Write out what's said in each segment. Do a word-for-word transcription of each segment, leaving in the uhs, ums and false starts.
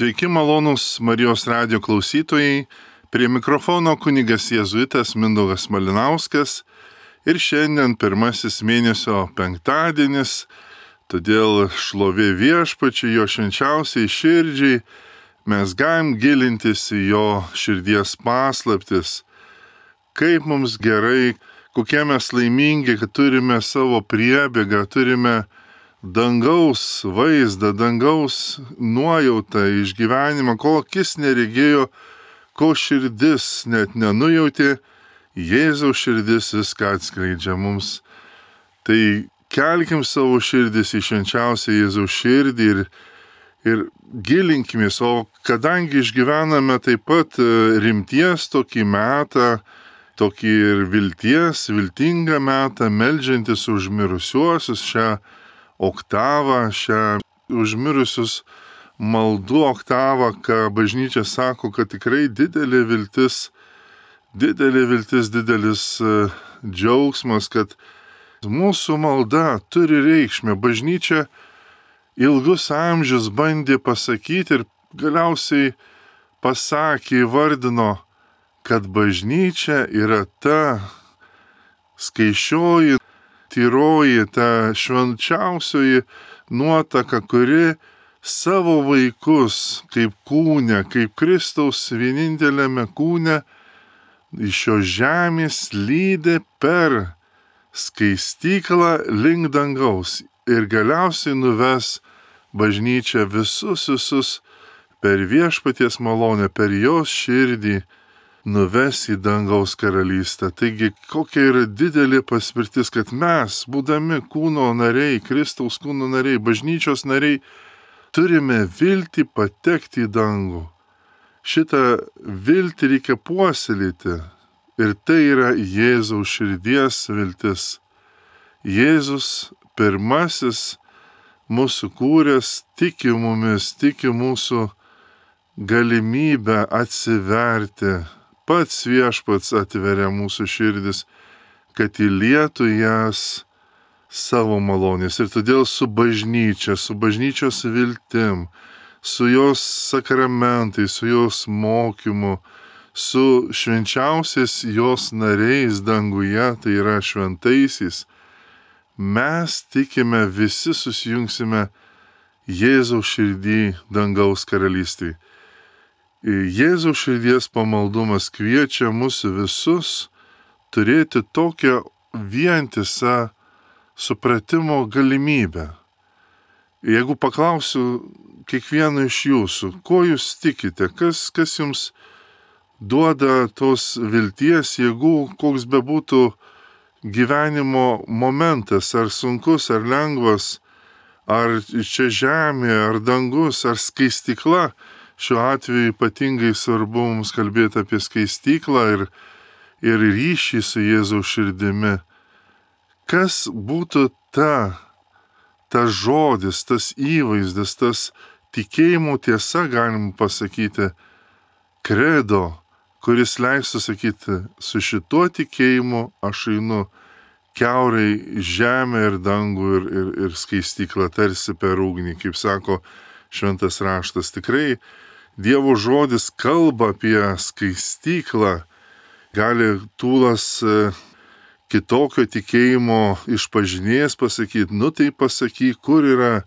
Sveiki malonūs Marijos radijo klausytojai, prie mikrofono kunigas jėzuitas Mindaugas Malinauskas ir šiandien pirmasis mėnesio penktadienis, todėl šlovė Viešpačiui, jo švenčiausiai širdžiai, mes galim gilintis į jo širdies paslaptis, kaip mums gerai, kokie mes laimingi, kad turime savo priebėgą, turime dangaus vaizdą, dangaus nuojautą, išgyvenimą, ko akis neregėjo, ko širdis net nenujautė, Jėzaus širdis viską atskleidžia mums. Tai kelkim savo širdis į švenčiausią Jėzaus širdį ir, ir gilinkimės, o kadangi išgyvename taip pat rimties tokį metą, tokį ir vilties, viltingą metą, meldžiantis už mirusiuosius šią oktavą, šią užmirusius maldų oktavą, ką bažnyčia sako, kad tikrai didelė viltis, didelė viltis, didelis džiaugsmas, kad mūsų malda turi reikšmę. Bažnyčia ilgus amžius bandė pasakyti ir galiausiai pasakė, įvardino, kad bažnyčia yra ta skaičioji, tyroji, ta švenčiausioji nuotaka, kuri savo vaikus kaip kūne, kaip Kristaus vieninteliame kūne iš šios žemės lydė per skaistyklą link dangaus ir galiausiai nuves bažnyčią visus visus per Viešpaties malonę, per jos širdį nuves į dangaus karalystę. Taigi, kokia yra didelė paspirtis, kad mes, būdami kūno nariai, Kristaus kūno nariai, bažnyčios nariai, turime viltį patekti į dangų. Šitą viltį reikia puoselėti ir tai yra Jėzaus širdies viltis. Jėzus pirmasis mūsų kūręs tiki mumis, tiki mūsų galimybę atsiverti. Pats Viešpats atveria mūsų širdis, kad įlietų jas savo malonės. Ir todėl su bažnyčia, su bažnyčios viltim, su jos sakramentais, su jos mokymu, su švenčiausiais jos nariais danguje, tai yra šventaisiais, mes tikime, visi susijungsime Jėzaus širdį dangaus karalystėje. Jėzaus širdies pamaldumas kviečia mus visus turėti tokią vientisą supratimo galimybę. Jeigu paklausiu kiekvieno iš jūsų, ko jūs tikite, kas, kas jums duoda tos vilties, jėgų, koks bebūtų gyvenimo momentas, ar sunkus, ar lengvas, ar čia žemė, ar dangus, ar skaistykla. Šiuo atveju ypatingai svarbu mums kalbėti apie skaistyklą ir, ir ryšį su Jėzaus širdimi. Kas būtų ta, ta žodis, tas įvaizdis, tas tikėjimo tiesa, galim pasakyti, kredo, kuris leistų sakyti, su šituo tikėjimu aš einu kiaurai žemę ir dangų ir, ir, ir skaistyklą tarsi per ugnį, kaip sako šventas raštas. Tikrai Dievo žodis kalba apie skaistyklą, gali tūlas kitokio tikėjimo išpažinėjas pasakyti, nu tai pasakyk, kur yra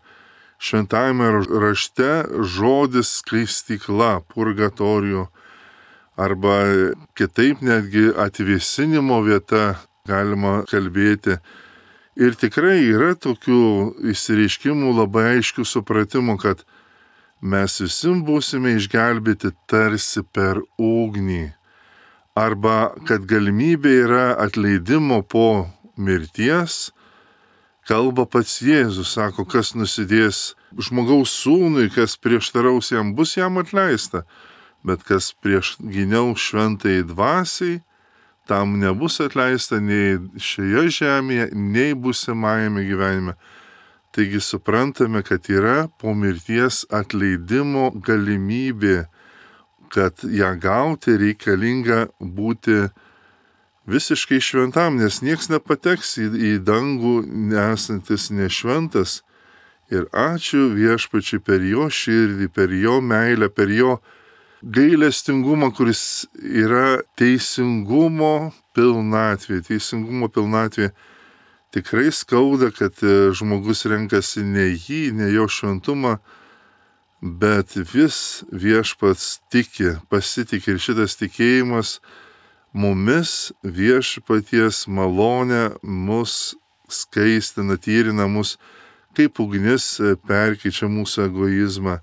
šventajame rašte žodis skaistykla, purgatorijų, arba kitaip netgi atvėsinimo vieta galima kalbėti. Ir tikrai yra tokių išsireiškimų labai aiškių supratimų, kad mes visi būsime išgelbėti tarsi per ugnį. Arba kad galimybė yra atleidimo po mirties, kalba pats Jėzus, sako, kas nusidės žmogaus sūnui, kas prieštaraus jam, bus jam atleista, bet kas prieš gyniaus šventai dvasiai, tam nebus atleista nei šioje žemėje, nei būsimajame gyvenime. Taigi suprantame, kad yra po mirties atleidimo galimybė, kad ją gauti reikalinga būti visiškai šventam, nes nieks nepateks į, į dangų nesantis nešventas Ir ačiū Viešpačiui per jo širdį, per jo meilę, per jo gailestingumą, kuris yra teisingumo pilnatvė. Teisingumo pilnatvė. Tikrai skauda, kad žmogus renkasi ne jį, ne jo šventumą, bet vis Viešpats tiki, pasitikė ir šitas tikėjimas mumis Viešpaties malonė mus skaistina, tyrina mus, kaip ugnis perkeičia mūsų egoizmą.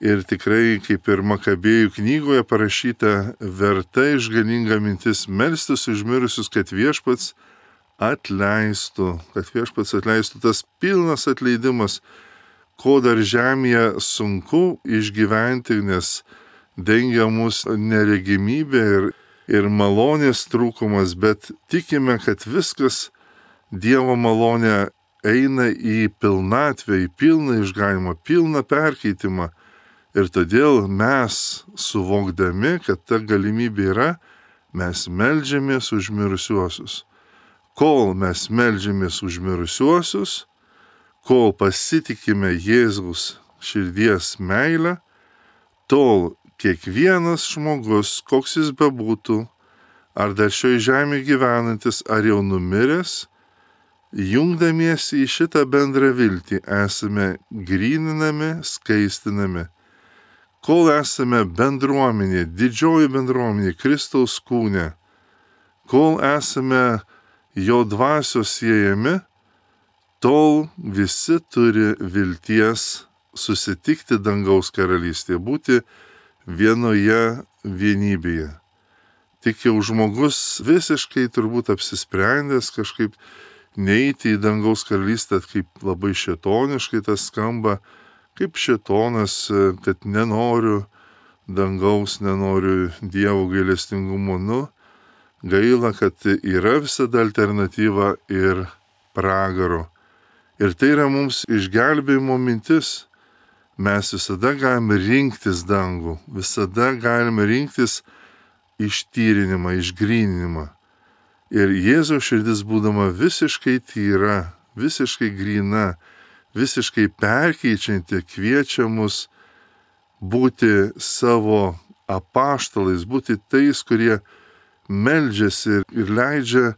Ir tikrai, kaip ir Makabėjų knygoje parašyta, verta išganinga mintis melstis už mirusius, kad Viešpats atleistų, kad Viešpats atleistų, tas pilnas atleidimas, ko dar žemėje sunku išgyventi, nes dengia mus neregimybė ir, ir malonės trūkumas, bet tikime, kad viskas Dievo malonė eina į pilnatvę, į pilną išganimą, pilną perkeitimą. Ir todėl mes, suvokdami, kad ta galimybė yra, mes meldžiamės už mirusiuosius. Kol mes meldžiamės už mirusiuosius, kol pasitikime Jėzaus širdies meilę, tol kiekvienas žmogus, koks jis bebūtų, ar dar šioje žemėje gyvenantis, ar jau numiręs, jungdamiesi į šitą bendrą viltį, esame gryninami, skaistinami. Kol esame bendruomenė, didžioji bendruomenė, Kristaus kūne, kol esame jo dvasios siejami, tol visi turi vilties susitikti dangaus karalystėje, būti vienoje vienybėje. Tik jau žmogus visiškai turbūt apsisprendęs kažkaip neiti į dangaus karalystę, kaip labai šėtoniškai tas skamba, kaip šėtonas, kad nenoriu dangaus, nenoriu Dievo gailestingumo. Nu, gaila, kad yra visada alternatyva ir pragaro. Ir tai yra mums išgelbėjimo mintis. Mes visada galime rinktis dangų, visada galime rinktis ištyrinimą, išgryninimą. Ir Jėzaus širdis būdama visiškai tyra, visiškai gryna, visiškai perkeičianti, kviečia mus būti savo apaštalais, būti tais, kurie meldžiasi ir leidžia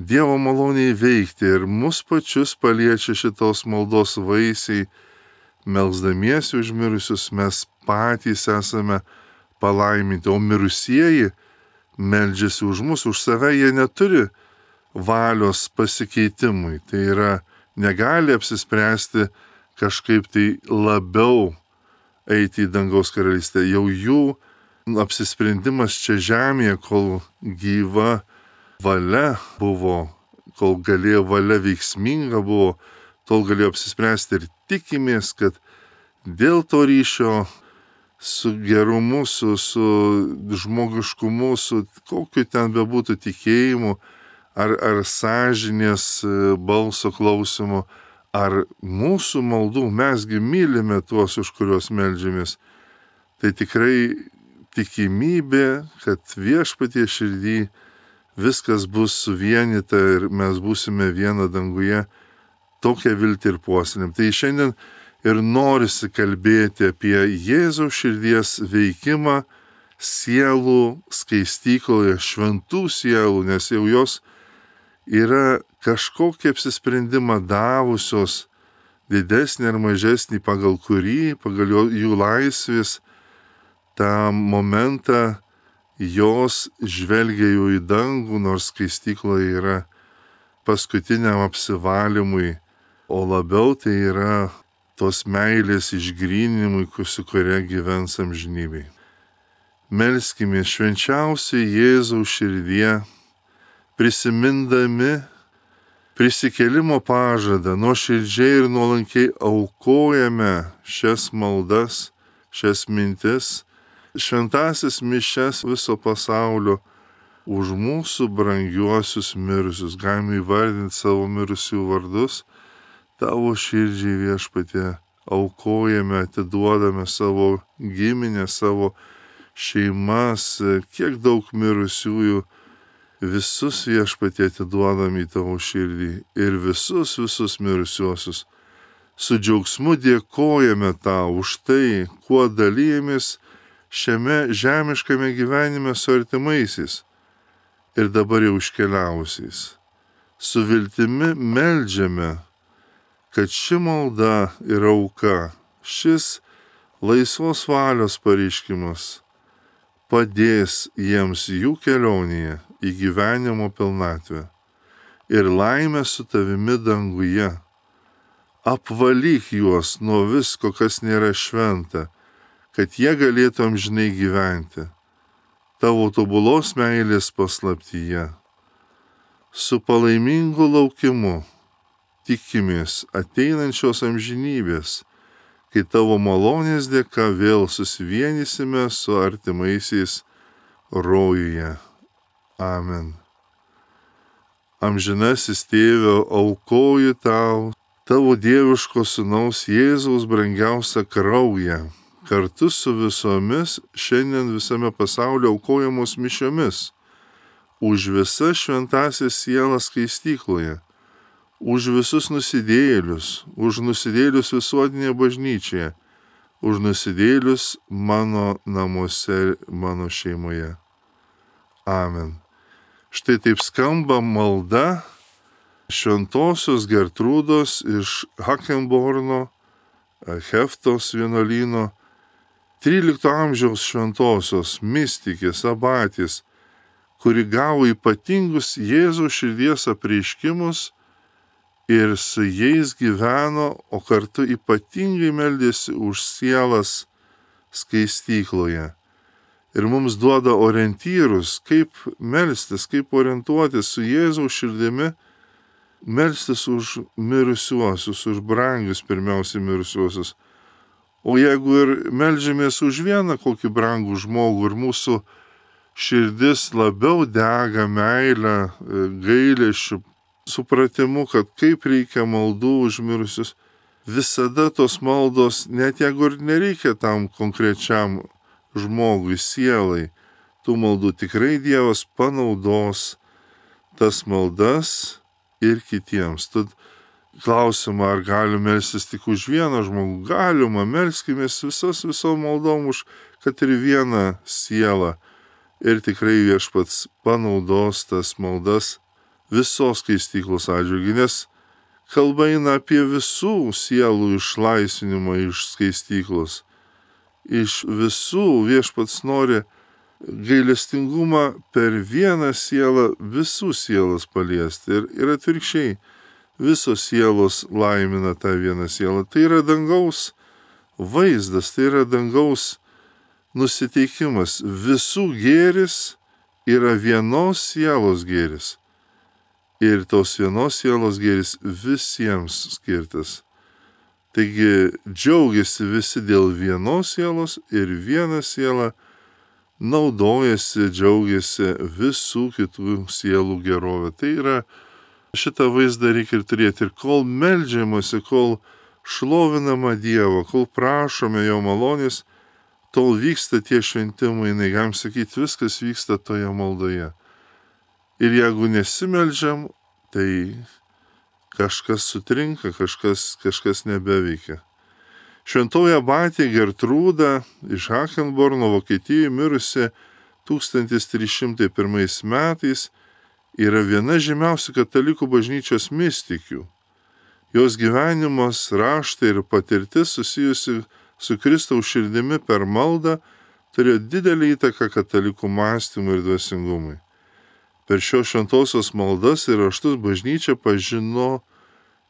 Dievo maloniai veikti. Ir mus pačius paliečia šitos maldos vaisiai. Melsdamiesi už mirusius mes patys esame palaiminti, o mirusieji meldžiasi už mus, už save, jie neturi valios pasikeitimui. Tai yra, negali apsispręsti kažkaip tai labiau eiti į dangaus karalystę. Jau jų apsisprendimas čia žemėje, kol gyva valia buvo, kol galėjo valia veiksminga buvo, tol galėjo apsispręsti ir tikimės, kad dėl to ryšio su gerumu, su, su žmogiškumu, su kokiu ten bebūtų tikėjimu, ar, ar sąžinės balso klausimu, ar mūsų maldų, mesgi mylime tuos, už kuriuos meldžiamės, tai tikrai tikimybė, kad Viešpatie širdį viskas bus suvienyta ir mes būsime viena danguje, tokią viltį ir puoselėm. Tai šiandien ir norisi kalbėti apie Jėzaus širdies veikimą sielų skaistykloje, šventų sielų, nes jau jos yra kažkokį apsisprendimą davusios, didesnį ar mažesnį, pagal kurį, pagal jų laisvės, tą momentą jos žvelgia jau į dangų, nors skaistykloje yra paskutiniam apsivalymui, o labiau tai yra tos meilės išgryninimui, su kuria gyvens amžinybėj. Melskime švenčiausiai Jėzaus širdie, prisimindami prisikėlimo pažadą, nuoširdžiai ir nuolankiai aukojame šias maldas, šias mintis, šventasis mišias viso pasaulio už mūsų brangiuosius mirusius. Galime įvardinti savo mirusių vardus. Tavo širdžiai, Viešpatie, aukojame, atiduodame savo giminę, savo šeimas, kiek daug mirusiųjų, visus, Viešpatie, atiduodame į tavo širdį ir visus, visus mirusiuosius Su džiaugsmu dėkojame tau už tai, kuo dalyjamės šiame žemiškame gyvenime su artimaisiais ir dabar jau iškeliausiais. Su viltimi meldžiame, kad ši malda ir auka, šis laisvos valios pareiškimas padės jiems jų kelionėje į gyvenimo pilnatvę ir laimę su tavimi danguje. Apvalyk juos nuo visko, kas nėra šventa, kad jie galėtų amžinai gyventi tavo tobulos meilės paslaptyje. Su palaimingu laukimu tikimės ateinančios amžinybės, kai tavo malonės dėka vėl susivienysime su artimaisiais rojuje. Amen. Amžinasis Tėve, aukoju tau tavo dieviško sūnaus Jėzaus brangiausią kraują, kartu su visomis šiandien visame pasaulyje aukojamos mišiomis, už visas šventąsias sielas skaistykloje, už visus nusidėjėlius, už nusidėjėlius visuotinėje bažnyčioje, už nusidėjėlius mano namuose, mano šeimoje. Amen. Štai taip skamba malda šventosios Gertrūdos iš Hakenborno, Heftos vienuolyno, trylikto amžiaus šventosios mistikės abatės, kuri gavo ypatingus Jėzaus širdies apreiškimus ir su jais gyveno, o kartu ypatingai meldėsi už sielas skaistykloje. Ir mums duoda orientyrus, kaip melstis, kaip orientuotis su Jėzaus širdimi, melstis už mirusiuosius, už brangius pirmiausiai mirusiuosius. O jeigu ir meldžiamės už vieną kokį brangų žmogų ir mūsų širdis labiau dega meilę, gailesčiu, supratimu, kad kaip reikia maldų už mirusius, visada tos maldos, net jeigu ir nereikia tam konkrečiam žmogui, sielai, tų maldų tikrai Dievas panaudos tas maldas ir kitiems. Tad klausimą, ar galime melstis tik už vieną žmogų, galima, melskimės visas visom maldom už, kad ir vieną sielą. Ir tikrai Viešpats panaudos tas maldas visos skaistyklos atžvilgiu, nes kalba eina apie visų sielų išlaisvinimą iš skaistyklos. Iš visų Viešpats nori gailestingumą per vieną sielą visų sielas paliesti. Ir, ir atvirkščiai, visos sielos laimina tą vieną sielą. Tai yra dangaus vaizdas, tai yra dangaus nusiteikimas. Visų gėris yra vienos sielos gėris. Ir tos vienos sielos gėris visiems skirtas. Taigi džiaugiasi visi dėl vienos sielos ir viena siela naudojasi, džiaugiasi visų kitų sielų gerovę. Tai yra, šitą vaizdą reikia ir turėti. Ir kol meldžiamasi, kol šlovinama Dievo, kol prašome jo malonės, tol vyksta tie šventimai, negalim sakyti, viskas vyksta toje maldoje. Ir jeigu nesimeldžiam, tai kažkas sutrinka, kažkas, kažkas nebeveikia. Šventoji abatė Gertrūda iš Hakenborno, Vokietijoje, mirusi tūkstantis trys šimtai pirmais metais, yra viena žymiausių katalikų bažnyčios mistikių. Jos gyvenimas, raštai ir patirtis susijusi su Kristaus širdimi per maldą turėjo didelį įtaką katalikų mąstymui ir dvasingumui. Per šios šventosios maldas ir raštus bažnyčia pažino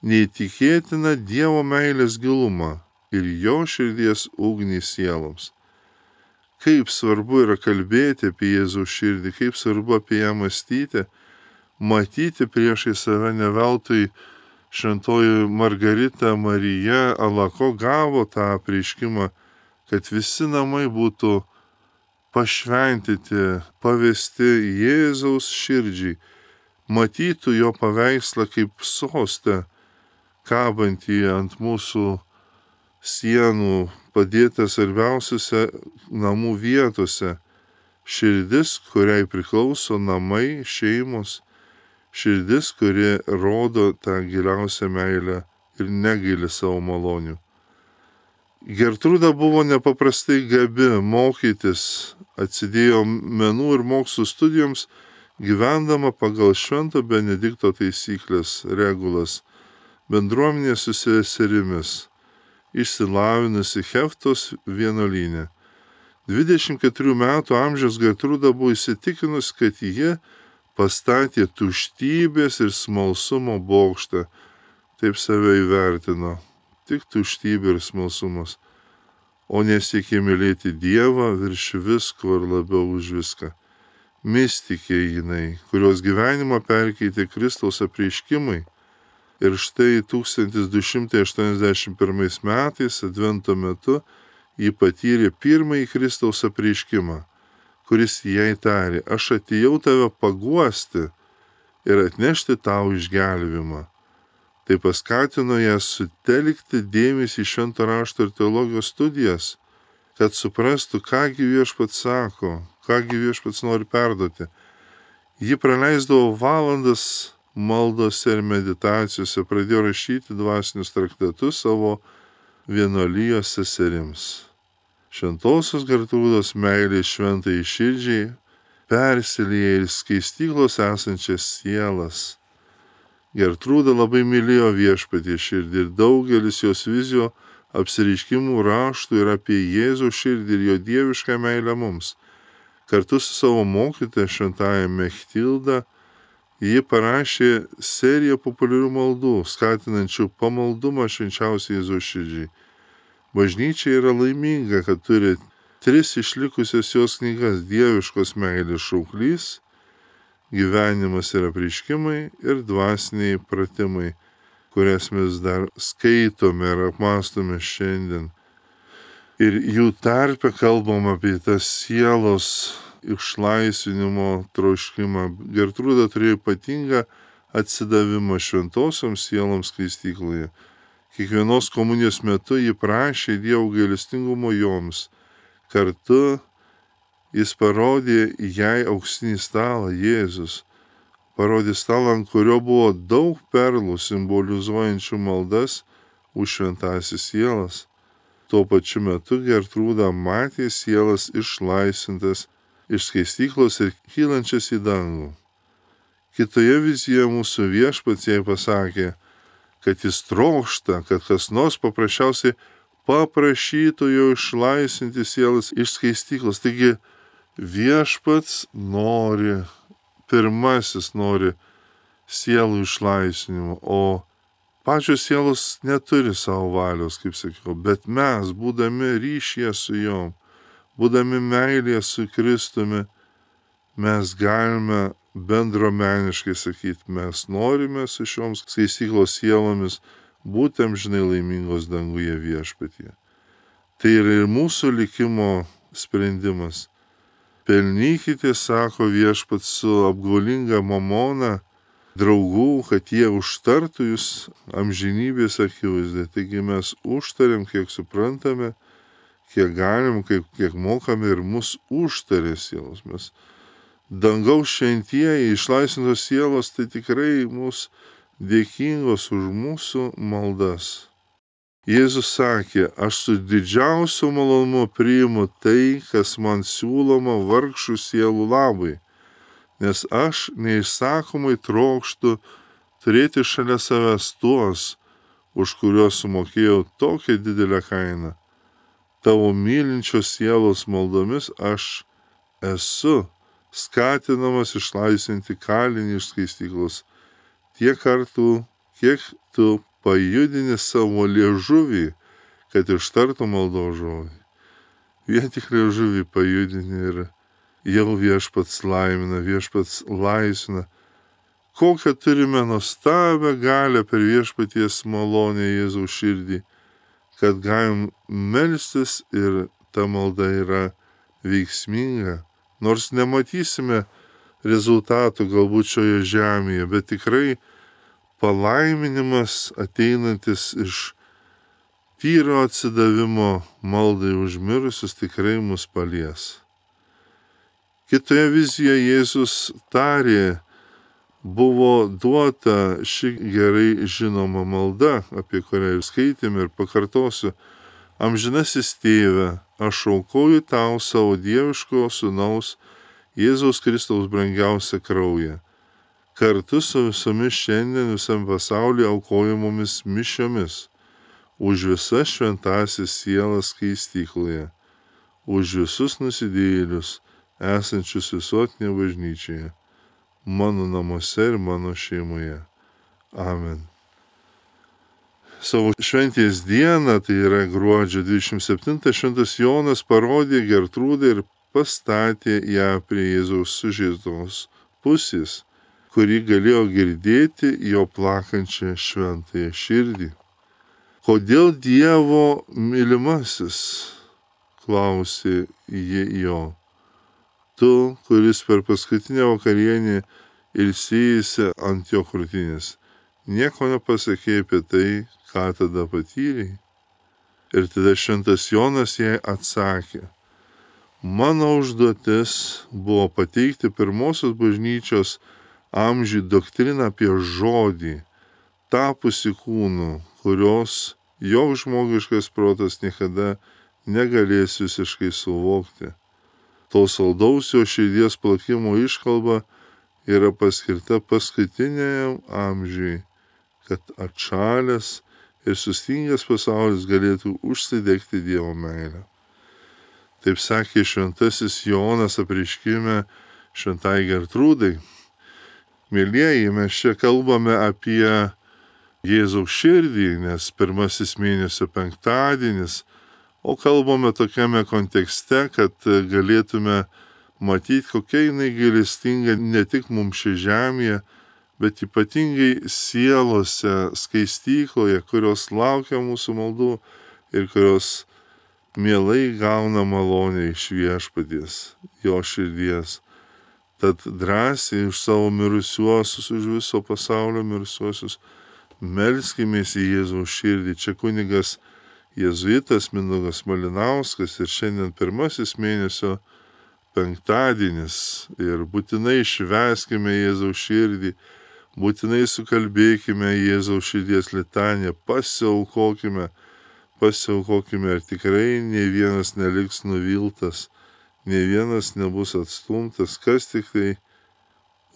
neįtikėtiną Dievo meilės gilumą ir jo širdies ugnį sieloms. Kaip svarbu yra kalbėti apie Jėzaus širdį, kaip svarbu apie ją mąstyti, matyti priešai save. Ne veltui šventoji Margarita Marija Alako gavo tą apreiškimą, kad visi namai būtų pašventyti, pavesti Jėzaus širdžiai, matytų jo paveikslą kaip sostą, kabantį ant mūsų sienų, padėtą svarbiausiose namų vietose. Širdis, kuriai priklauso namai, šeimos, širdis, kuri rodo tą giliausią meilę ir negaili savo malonių. Gertrūda buvo nepaprastai gabi mokytis, atsidėjo menų ir mokslų studijoms, gyvendama pagal Švento Benedikto taisyklės, regulas, bendruomenė su seserimis, išsilavinusi Heftos vienuolyne. dvidešimt keturių metų amžiaus Gertrūda buvo įsitikinus, kad ji pastatė tuštybės ir smalsumo bokštą, taip save įvertino, tik tuštybė ir smalsumas, o nesiekė mylėti Dievą virš visko ir labiau už viską. Mistikė jinai, kurios gyvenimą perkeitė Kristaus apreiškimai. Ir štai tūkstantis du šimtai aštuoniasdešimt pirmais metais, Advento metu, ji patyrė pirmąjį Kristaus apreiškimą, kuris jai tarė: aš atėjau tave paguosti ir atnešti tau išgelbėjimą. Tai paskatino ją sutelkti dėmesį į švento rašto ir teologijos studijas, kad suprastų, kągi viešpats sako, kągi viešpats nori perduoti. Ji praleisdavo valandas maldose ir meditacijose, pradėjo rašyti dvasinius traktatus savo vienuolijos seserims. Šventosios Gertrūdos meilė šventai širdžiai persilieja ir skaistyklos esančias sielas. Gertrūda labai mylėjo viešpatie širdį ir daugelis jos vizijų apsireiškimų raštų ir apie Jėzų širdį ir jo dievišką meilę mums. Kartu su savo mokytoja šventąja Mechtilda ji parašė seriją populiarių maldų, skatinančių pamaldumą švenčiausiai Jėzaus širdžiai. Bažnyčia yra laiminga, kad turi tris išlikusias jos knygas: Dieviškos meilės šauklys, Gyvenimas ir apreiškimai ir Dvasiniai pratimai, kurias mes dar skaitome ir apmąstome šiandien. Ir jų tarpe kalbam apie tas sielos išlaisvinimo troškimą. Gertrūda turėjo ypatingą atsidavimą šventosioms sieloms skaistykloje. Kiekvienos komunijos metu ji prašė Dievo gailestingumo joms. Kartu jis parodė jai auksinį stalą, Jėzus. Parodė stalą, ant kurio buvo daug perlų simbolizuojančių maldas už šventąsias sielas. Tuo pačiu metu Gertrūda matė sielas išlaisvintas iš skaistyklos ir kylančias į dangų. Kitoje vizijoje mūsų viešpats jai pasakė, kad jis trokšta, kad kas nors paprasčiausiai paprašytų jo išlaisvinti sielas iš skaistyklos. Taigi viešpats nori, pirmasis nori sielų išlaisvinimo, o pačios sielos neturi savo valios, kaip sakiau, bet mes, būdami ryšyje su jom, būdami meilėje su Kristumi, mes galime bendruomeniškai sakyti, mes norime su šioms skaistyklos sielomis būti amžinai laimingos danguje viešpatyje. Tai yra ir mūsų likimo sprendimas. Pelnykite, sako viešpats, su apgaulinga mamona draugų, kad jie užtartų jūs amžinybės akivaizdai. Taigi mes užtariam, kiek suprantame, kiek galim, kiek, kiek mokame, ir mus užtarė sielos. Mes dangaus šventieji, išlaisvintos sielos, tai tikrai mus dėkingos už mūsų maldas. Jėzus sakė, aš su didžiausiu malonumu priimu tai, kas man siūloma vargšų sielų labai, nes aš neišsakomai trokštu turėti šalia savęs tuos, už kuriuos sumokėjau tokią didelę kainą. Tavo mylinčios sielos maldomis aš esu skatinamas išlaisvinti kalinį iš skaistyklos tiek kartų, kiek tu pajudini savo liežuvį, kad ištartų maldos žodį. Vien tik liežuvį pajudini ir jau viešpats laimina, viešpats laisvina. Kokią turime nuostabią galią per viešpaties malonę Jėzaus širdį, kad galim melstis ir ta malda yra veiksminga. Nors nematysime rezultatų galbūt šioje žemėje, bet tikrai palaiminimas ateinantis iš tyro atsidavimo maldai už mirusius tikrai mus palies. Kitoje vizijoje Jėzus tarė buvo duota ši gerai žinoma malda, apie kurią ir skaitėme ir pakartosiu. Amžinasis tėve, aš aukoju tau savo dieviško sūnaus Jėzaus Kristaus brangiausią kraują, kartu su visomis šiandien visam pasaulyje aukojamomis mišiomis, už visas šventasis sielas skaistykloje, už visus nusidėjėlius, esančius visuotinėje bažnyčioje, mano namuose ir mano šeimoje. Amen. Savo šventės dieną, tai yra gruodžio dvidešimt septintą, šventas Jonas parodė Gertrūdą ir pastatė ją prie Jėzaus sužeistos pusės, kuri galėjo girdėti jo plakančią šventąją širdį. Kodėl Dievo mylimasis, klausė ji jo, tu, kuris per paskutinę vakarienę ilsėjasi ant jo krūtinės, nieko nepasakė apie tai, ką tada patyrei? Ir tada šventas Jonas jai atsakė, mano užduotis buvo pateikti pirmosios bažnyčios amžių doktriną apie žodį, tapusi kūnu, kurios joks žmogiškas protas niekada negalės visiškai suvokti. To saldaus jo širdies plakimo iškalba yra paskirta paskutiniajam amžiui, kad atšalęs ir sustingęs pasaulis galėtų užsidegti Dievo meilę. Taip sakė šventasis Jonas apreiškime šventai Gertrūdai. Mėlieji, mes čia kalbame apie Jėzaus širdį, nes pirmasis mėnesio penktadienis, o kalbame tokiame kontekste, kad galėtume matyti, kokia jinai gailestinga ne tik mums šia žemėje, bet ypatingai sielose, skaistykloje, kurios laukia mūsų maldų ir kurios mielai gauna malonę iš viešpaties, jo širdies. Tad drąsiai už savo mirusiuosius, už viso pasaulio mirusiuosius, melskimės į Jėzaus širdį. Čia kunigas jėzuitas Mindaugas Malinauskas ir šiandien pirmasis mėnesio penktadienis. Ir būtinai švęskime Jėzaus širdį, būtinai sukalbėkime Jėzaus širdies litaniją, pasiaukokime, pasiaukokime ir tikrai ne vienas neliks nuviltas, ne vienas nebus atstumtas, kas tik tai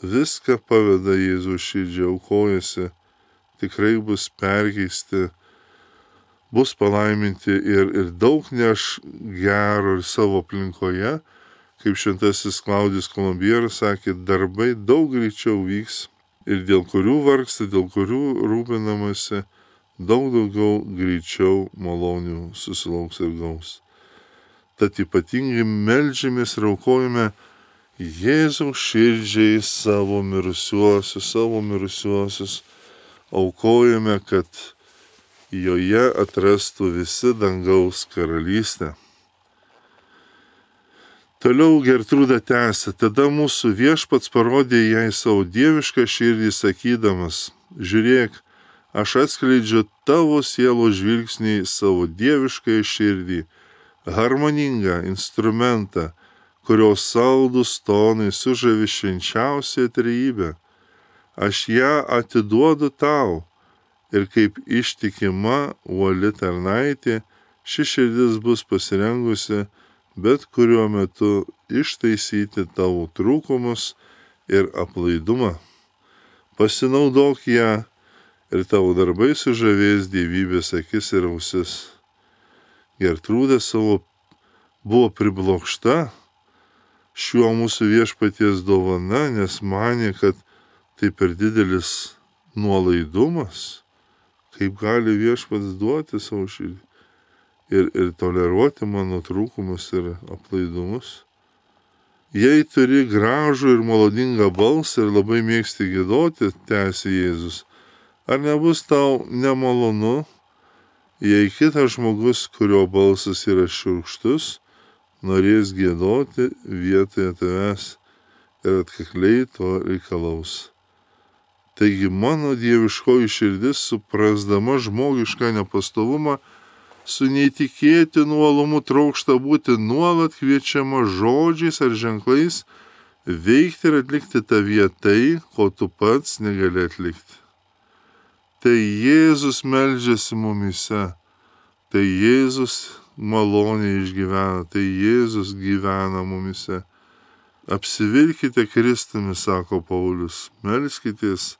viską paveda Jėzaus širdžiai, aukojasi, tikrai bus perkeisti, bus palaiminti ir, ir daug neš gero ir savo aplinkoje, kaip šventasis Klaudijus Kolumbieras sakė, darbai daug greičiau vyks ir dėl kurių vargsta, dėl kurių rūpinamasi, daug daugiau greičiau malonių susilauks ir gaus. Tad ypatingai meldžiamės ir aukojame Jėzaus širdžiai savo mirusiuosius, savo mirusiuosius, aukojame, kad joje atrastų visi dangaus karalystę. Toliau Gertrūda tęsia, tada mūsų viešpats parodė jai savo dievišką širdį sakydamas, žiūrėk, aš atskleidžiu tavo sielos žvilgsnį savo dievišką širdį, harmoningą instrumentą, kurios saldus tonai sužavi švenčiausią trejybę. Aš ją atiduodu tau ir kaip ištikima uoli tarnaitė, ši širdis bus pasirengusi bet kuriuo metu ištaisyti tavo trūkumus ir aplaidumą. Pasinaudok ją ir tavo darbai sužavės dievybės akis ir ausis. Gertrūda savo buvo priblokšta šiuo mūsų viešpaties dovana, nes manė, kad tai per didelis nuolaidumas, kaip gali viešpats duoti savo širdį ir, ir toleruoti mano trūkumus ir aplaidumus. Jei turi gražų ir maloningą balsą ir labai mėgsti giedoti, tęsė Jėzus, ar nebus tau nemalonu, jei kitas žmogus, kurio balsas yra šiurkštus, norės giedoti vietoje tavęs ir atkakliai to reikalaus. Taigi mano dieviškoji širdis, suprasdama žmogišką nepastovumą, su neįtikėtinu uolumu trokšta būti nuolat kviečiama žodžiais ar ženklais veikti ir atlikti tavyje tai, ko tu pats negali atlikti. Tai Jėzus meldžiasi mumyse, tai Jėzus maloniai išgyvena, tai Jėzus gyvena mumyse. Apsivilkite Kristumi, sako Paulius, melskitės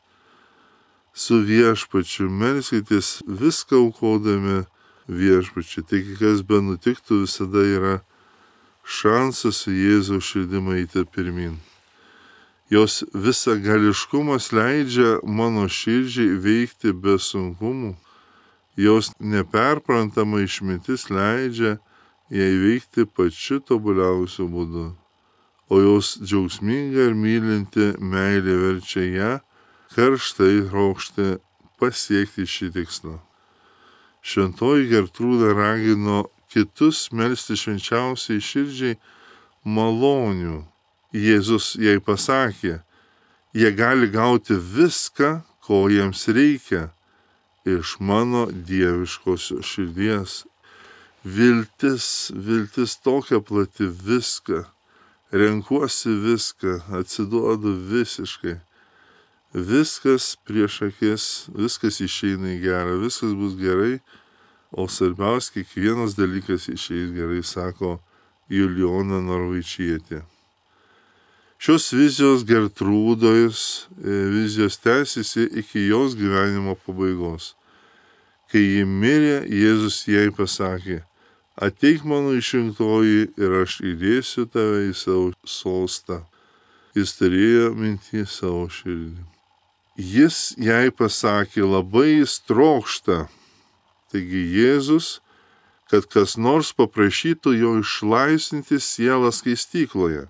su viešpačiu, melskitės viską aukodami viešpačiu. Taigi, kas be nutiktų, visada yra šansas su Jėzaus širdimi eiti pirmin. Jos visagališkumas leidžia mano širdžiai veikti be sunkumų. Jos neperprantama išmintis leidžia jai veikti pačiu tobuliausiu būdu. O jos džiaugsminga ir mylinti meilė verčia ją karštai trokšti pasiekti šį tikslą. Šventoji Gertrūda ragino kitus melsti švenčiausiai širdžiai malonių. Jėzus jai pasakė, jie gali gauti viską, ko jiems reikia, iš mano dieviškosios širdies. Viltis, viltis tokia plati, viską. Renkuosi viską, atsiduodu visiškai. Viskas prieš akis, viskas išeina į gerą, viskas bus gerai, o svarbiausia, kiekvienas dalykas išeis gerai, sako Julijona Norvaičietė. Šios vizijos Gertrūdos vizijos tęsiasi iki jos gyvenimo pabaigos. Kai ji mirė, Jėzus jai pasakė, ateik mano išrinktoji ir aš įdėsiu tave į savo sostą. Jis turėjo minty savo širdį. Jis jai pasakė, labai jis trokšta. Taigi Jėzus, kad kas nors paprašytų jo išlaisvinti sielą skaistykloje.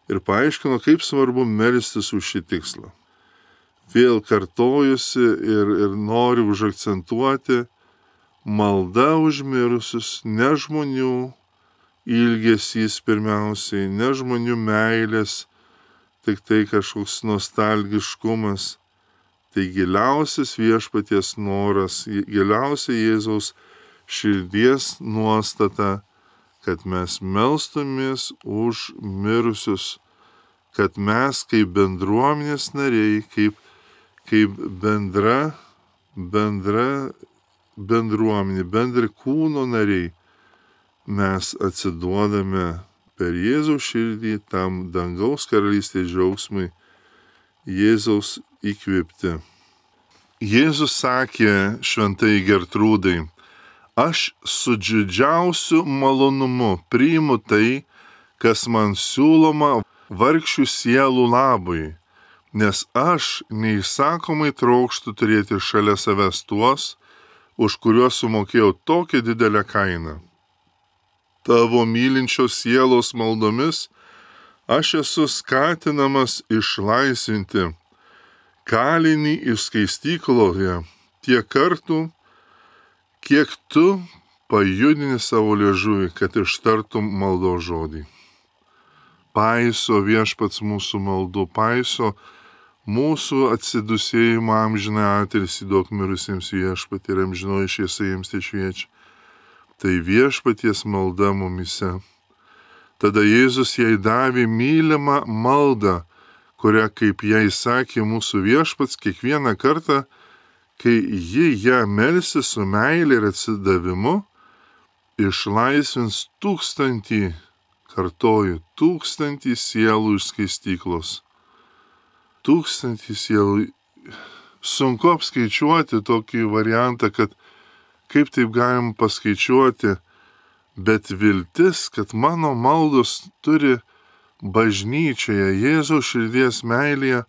Ir paaiškino, kaip svarbu melstis už šį tikslą. Vėl kartojusi ir, ir noriu užakcentuoti, malda už mirusius, ne žmonių ilgesys pirmiausiai, ne žmonių meilės, tik tai kažkoks nostalgiškumas. Tai giliausias viešpaties noras, giliausia Jėzaus širdies nuostata, kad mes melstumės už mirusius, kad mes kaip bendruomenės nariai, kaip, kaip bendra, bendra bendruomenė, bendri kūno nariai, mes atsiduodame per Jėzaus širdį tam dangaus karalystės džiaugsmui, Jėzaus įkvėpti. Jėzus sakė šventai Gertrūdai, aš su didžiausiu malonumu priimu tai, kas man siūloma vargšių sielų labui, nes aš neįsakomai trokštu turėti šalia savęs tuos, už kuriuos sumokėjau tokią didelę kainą. Tavo mylinčios sielos maldomis aš esu skatinamas išlaisvinti kalinį iš skaistykloje tiek kartų, kiek tu pajudini savo liežuvį, kad ištartum maldos žodį. Paiso viešpats mūsų maldų, paiso mūsų atsidusėjimą amžiną atilsį duok mirusiems viešpatį ir amžinoji šviesa jiems tai šviečia. Tai viešpaties malda mumyse. Tada Jėzus jai davė mylimą maldą, kurią, kaip jai sakė mūsų viešpats, kiekvieną kartą, kai ji ją melsi su meilė ir atsidavimu, išlaisvins tūkstantį, kartoju, tūkstantį sielų iš skaistyklos. Tūkstantį sielų. Sunku apskaičiuoti tokį variantą, kad kaip taip galim paskaičiuoti, bet viltis, kad mano maldos turi bažnyčioje Jėzaus širdies meilėje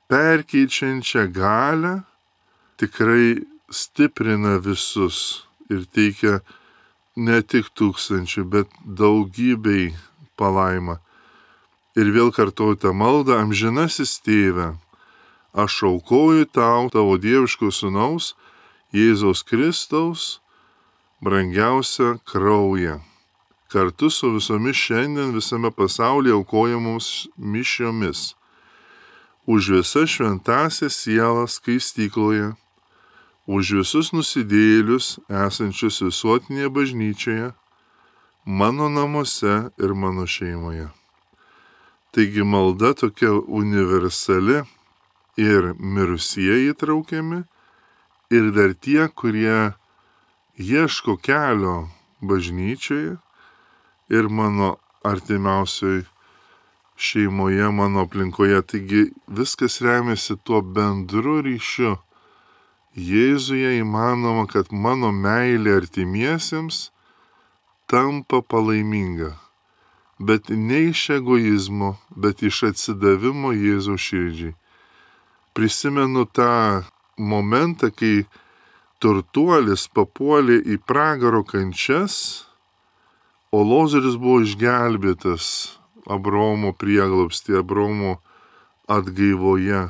perkeičiančią galią, tikrai stiprina visus ir teikia ne tik tūkstančių, bet daugybei palaimą. Ir vėl kartoju tą maldą, amžinasis tėve, aš aukoju tau, tavo dieviško sūnaus, Jėzaus Kristaus, brangiausią kraują, kartu su visomis šiandien visame pasaulyje aukojamoms mišiomis, už visas šventąsias sielas skaistykloje, už visus nusidėjėlius esančius visuotinėje bažnyčioje, mano namuose ir mano šeimoje. Taigi malda tokia universali ir mirusieji įtraukiami, ir dar tie, kurie ieško kelio bažnyčioje ir mano artimiausioj šeimoje, mano aplinkoje. Taigi viskas remiasi tuo bendru ryšiu. Jėzuje įmanoma, kad mano meilė artimiesiems tampa palaiminga. Bet ne iš egoizmo, bet iš atsidavimo Jėzaus širdžiai. Prisimenu tą momentą, kai turtuolis papuolė į pragaro kančias, o Lozorius buvo išgelbėtas Abraomo prieglobstyje, Abraomo atgaivoje.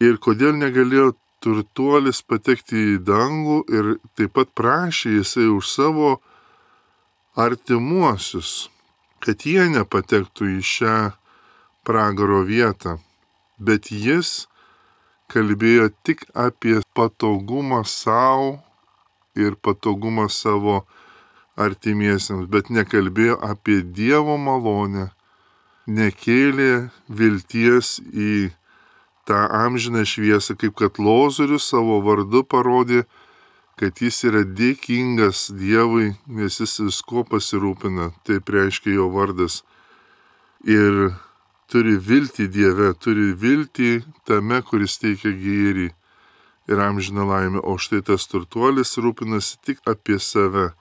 Ir kodėl negalėjo turtuolis patekti į dangų ir taip pat prašė jisai už savo artimuosius, kad jie nepatektų į šią pragaro vietą. Bet jis kalbėjo tik apie patogumą savo ir patogumą savo artimiesiems, bet nekalbėjo apie Dievo malonę, nekėlė vilties į tą amžiną šviesą, kaip kad Lozorius savo vardu parodė, kad jis yra dėkingas Dievui, nes jis visko pasirūpina, taip reiškia jo vardas. Ir turi viltį Dieve, turi viltį tame, kuris teikia gėrį ir amžiną laimę, o štai tas turtuolis rūpinasi tik apie save.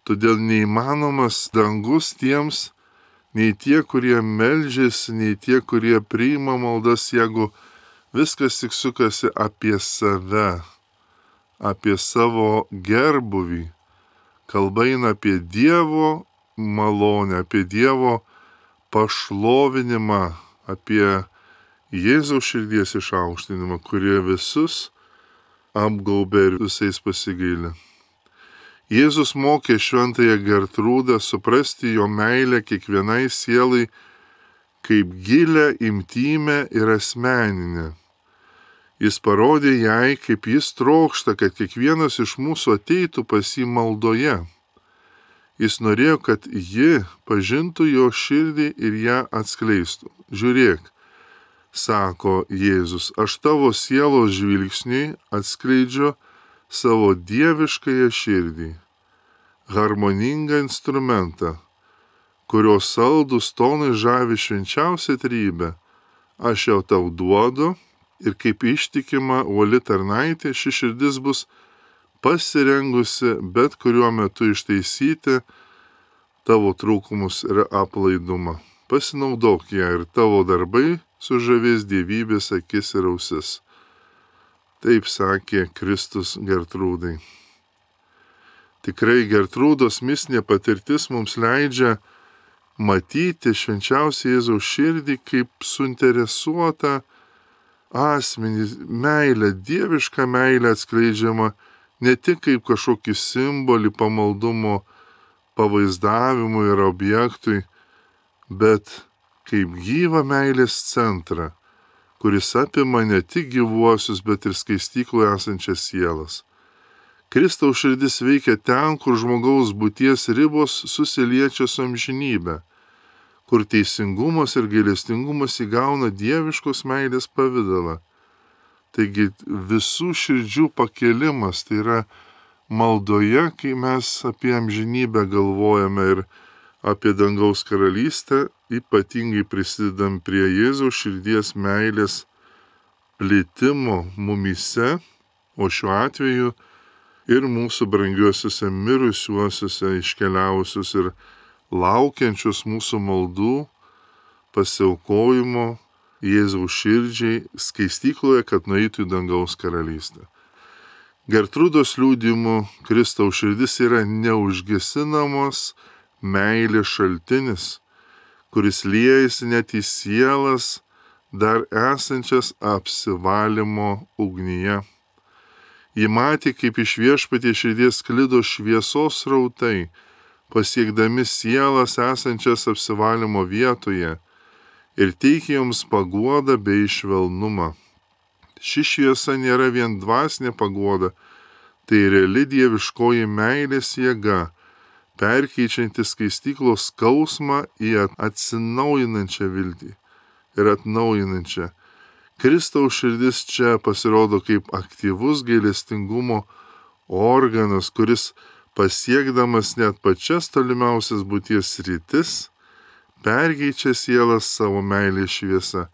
Todėl neįmanomas dangus tiems, nei tie, kurie meldžiasi, nei tie, kurie priima maldas, jeigu viskas tik sukasi apie save, apie savo gerbuvį. Kalba eina apie Dievo malonę, apie Dievo pašlovinimą, apie Jėzaus širdies išaukštinimą, kurie visus apgaubė ir visais pasigailė. Jėzus mokė šventąją Gertrūdą suprasti jo meilę kiekvienai sielai kaip gilę, intymę ir asmeninę. Jis parodė jai, kaip jis trokšta, kad kiekvienas iš mūsų ateitų pas jį maldoje. Jis norėjo, kad ji pažintų jo širdį ir ją atskleistų. Žiūrėk, sako Jėzus, aš tavo sielos žvilgsniui atskleidžiu savo dieviškąją širdį, harmoningą instrumentą, kurio saldus tonai žavi švenčiausią trybę. Aš jau tau duodu ir kaip ištikima uoli tarnaitė ši širdis bus pasirengusi bet kuriuo metu ištaisyti tavo trūkumus ir aplaidumą. Pasinaudok ją ir tavo darbai sužavės dievybės akis ir ausis. Taip sakė Kristus Gertrūdai. Tikrai Gertrūdos mistinė patirtis mums leidžia matyti švenčiausią Jėzaus širdį kaip suinteresuotą asmenį, meilę, dievišką meilę atskleidžiama ne tik kaip kažkokį simbolį pamaldumo pavaizdavimui ir objektui, bet kaip gyvą meilės centrą, kuris apima ne tik gyvuosius, bet ir skaistykloje esančias sielas. Kristaus širdis veikia ten, kur žmogaus būties ribos susiliečia su amžinybė, kur teisingumas ir gailestingumas įgauna dieviškos meilės pavidalą. Taigi visų širdžių pakelimas, tai yra maldoje, kai mes apie amžinybę galvojame ir apie dangaus karalystę, ypatingai prisidedam prie Jėzaus širdies meilės plėtimo mumyse, o šiuo atveju ir mūsų brangiuosiuose mirusiuosiuose iškeliavusius ir laukiančius mūsų maldų pasiaukojimo Jėzaus širdžiai skaistykloje, kad nueitų į dangaus karalystę. Gertrūdos liudijimu Kristaus širdis yra neužgesinamos meilės šaltinis, kuris liejasi net į sielas dar esančias apsivalymo ugnyje. Ji matė, kaip iš viešpaties širdies sklido šviesos srautai, pasiekdami sielas esančias apsivalymo vietoje ir teikė joms paguodą bei švelnumą. Ši šviesa nėra vien dvasinė paguoda, tai reali dieviškoji meilės jėga, perkeičiantis skaistyklos skausmą į atsinaujinančią viltį ir atnaujinančią. Kristaus širdis čia pasirodo kaip aktyvus gailestingumo organas, kuris pasiekdamas net pačias tolimiausias būties sritis, perkeičia sielas savo meilės šviesą.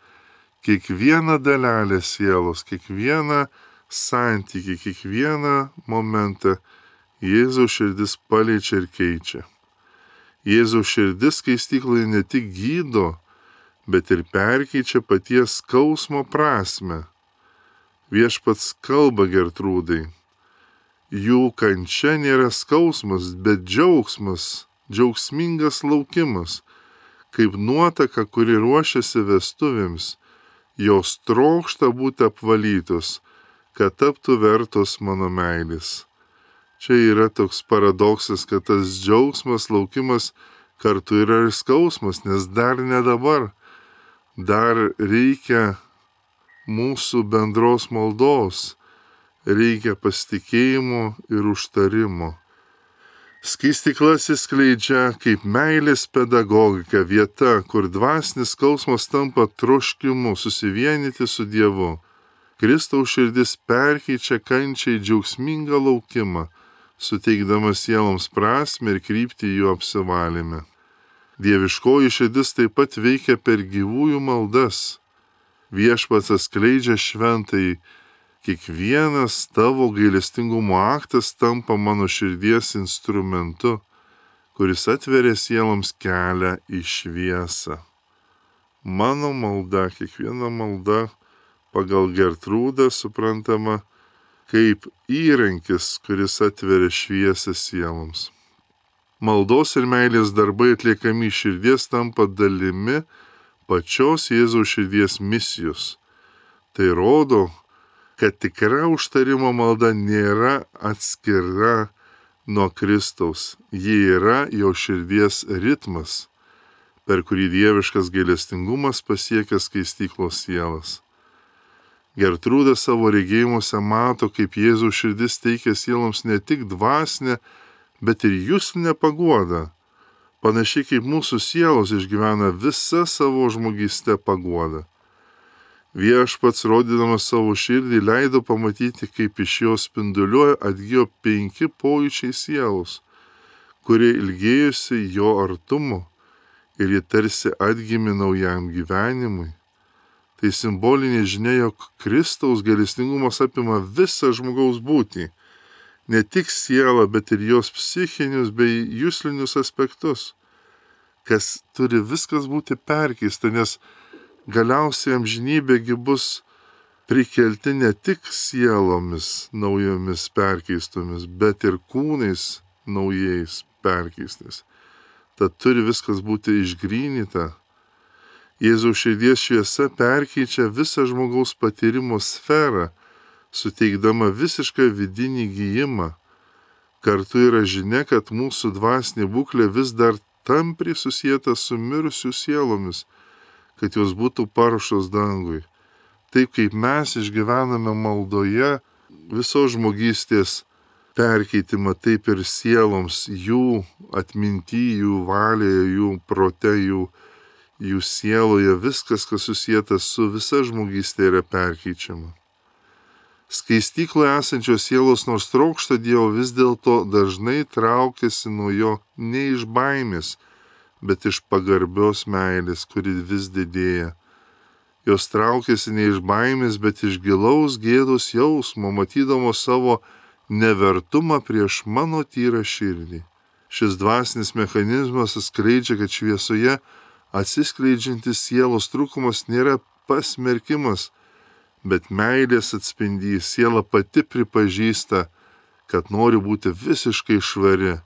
Kiekvieną dalelę sielos, kiekvieną santykį, kiekvieną momentą Jėzaus širdis paliečia ir keičia. Jėzaus širdis skaistykloje ne tik gydo, bet ir perkeičia paties skausmo prasme. Viešpats kalba Gertrūdai. Jų kančia nėra skausmas, bet džiaugsmas, džiaugsmingas laukimas, kaip nuotaka, kuri ruošiasi vestuvėms. Jos trokšta būti apvalytos, kad taptų vertos mano meilės. Čia yra toks paradoksas, kad tas džiaugsmas, laukimas kartu yra ir skausmas, nes dar ne dabar. Dar reikia mūsų bendros maldos, reikia pasitikėjimo ir užtarimo. Skaistykla atsiskleidžia kaip meilės pedagogika, vieta, kur dvasinis skausmas tampa troškimu susivienyti su Dievu. Kristaus širdis perkeičia kančiai džiaugsmingą laukimą, suteikdamas sieloms prasmę ir kryptį jų apsivalyme. Dieviškoji širdis taip pat veikia per gyvųjų maldas. Viešpats atskleidžia šventai, kiekvienas tavo gailestingumo aktas tampa mano širdies instrumentu, kuris atveria sieloms kelią į šviesą. Mano malda, kiekviena malda pagal Gertrūdą suprantama kaip įrankis, kuris atveria šviesą sieloms. Maldos ir meilės darbai atliekami širdies tampa dalimi pačios Jėzaus širdies misijos. Tai rodo, kad tikra užtarimo malda nėra atskira nuo Kristaus. Ji yra jo širdies ritmas, per kurį dieviškas gailestingumas pasiekia skaistyklos sielas. Gertrūda savo regėjimuose mato, kaip Jėzaus širdis teikia sieloms ne tik dvasinę, bet ir juslinę paguodą. Panašiai kaip mūsų sielos išgyvena visą savo žmogystę paguodą. Viešpats, rodydamas savo širdį, leido pamatyti, kaip iš jos spinduliuoja atgijo penki pojūčiai sielos, kurie ilgėjosi jo artumo ir jie tarsi atgimė naujam gyvenimui. Tai simbolinė žinia, jog Kristaus gailestingumas apima visą žmogaus būtį, ne tik sielą, bet ir jos psichinius bei juslinius aspektus, kas turi viskas būti perkeista, nes galiausiai amžinybėgi bus prikelti ne tik sielomis naujomis perkeistomis, bet ir kūnais naujais perkeistais. Tad turi viskas būti išgrynyta. Jėzaus širdies šviesa perkeičia visą žmogaus patyrimo sferą, suteikdama visišką vidinį gijimą. Kartu yra žinia, kad mūsų dvasinė būklė vis dar tampriai susieta su mirusių sielomis, kad jos būtų paruoštos dangui. Taip kaip mes išgyvename maldoje visos žmogystės perkeitimą, taip ir sieloms, jų atminty, jų valėje, jų prote, jų, jų sieloje, viskas, kas susieta su visa žmogystė, yra perkeičiama. Skaistykloje esančios sielos nors trokšta Dievo, vis dėlto dažnai traukiasi nuo jo ne iš baimės, bet iš pagarbios meilės, kuri vis didėja. Jos traukiasi ne iš baimės, bet iš gilaus gėdos jausmo, matydamos savo nevertumą prieš mano tyrą širdį. Šis dvasinis mechanizmas atskleidžia, kad šviesoje atsiskleidžiantis sielos trūkumas nėra pasmerkimas, bet meilės atspindys. Siela pati pripažįsta, kad nori būti visiškai švari,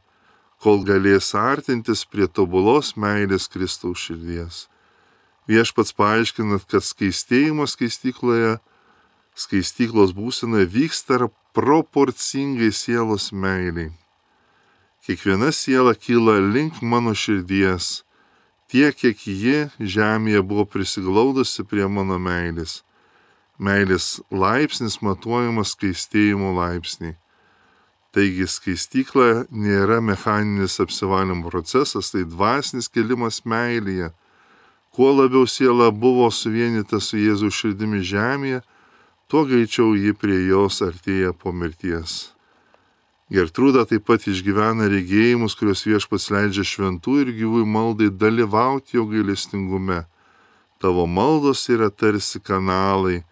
kol galės artintis prie tobulos meilės Kristaus širdies. Viešpats paaiškina, kad skaistėjimas skaistykloje, skaistyklos būsenoje vyksta proporcingai sielos meiliai. Kiekviena siela kyla link mano širdies, tiek, kiek ji žemėje buvo prisiglaudusi prie mano meilės. Meilės laipsnis matuojamas skaistėjimo laipsnį. Taigi skaistykla nėra mechaninis apsivalymo procesas, tai dvasinis kelimas meilėje. Kuo labiau siela buvo suvienyta su Jėzaus širdimi žemėje, tuo greičiau ji prie jos artėja po mirties. Gertrūda taip pat išgyvena regėjimus, kurios Viešpats leidžia šventų ir gyvųjų maldai dalyvauti jo gailestingume. Tavo maldos yra tarsi kanalai,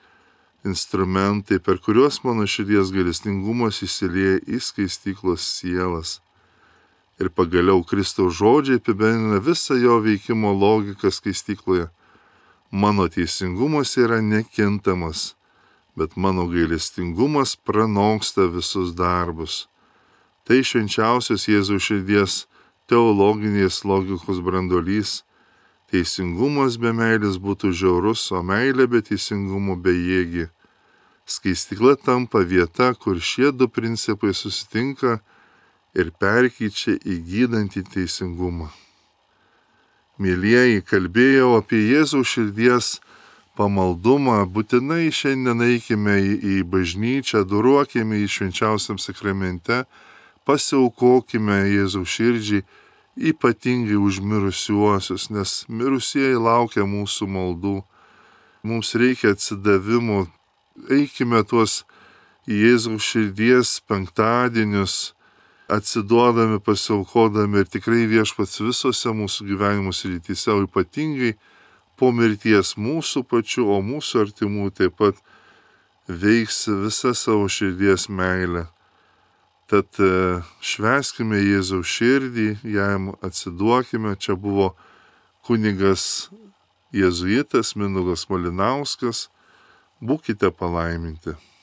instrumentai, per kuriuos mano širdies gailestingumas įsilieja į skaistyklos sielas. Ir pagaliau Kristaus žodžiai apibendrina visą jo veikimo logiką skaistykloje. Mano teisingumas yra nekintamas, bet mano gailestingumas pranoksta visus darbus. Tai švenčiausios Jėzaus širdies teologinės logikos branduolys. Teisingumas be meilės būtų žiaurus, o meilė be teisingumo bejėgi. Skaistykla tampa vieta, kur šie du principai susitinka ir perkeičia į gydantį teisingumą. Mėlieji, kalbėjau apie Jėzaus širdies pamaldumą, būtinai šiandien eikime į, į bažnyčią, duruokime į švenčiausiam sakramente, pasiaukokime Jėzaus širdžiai, ypatingai už mirusiuosius, nes mirusieji laukia mūsų maldų. Mums reikia atsidavimo, eikime tuos Jėzaus širdies penktadienius, atsiduodami, pasiaukodami ir tikrai Viešpats visose mūsų gyvenimo srityse, o ypatingai po mirties mūsų pačių, o mūsų artimų taip pat veiks visą savo širdies meilę. Tad švęskime Jėzaus širdį, jam atsiduokime. Čia buvo kunigas jėzuitas Mindaugas Malinauskas. Būkite palaiminti.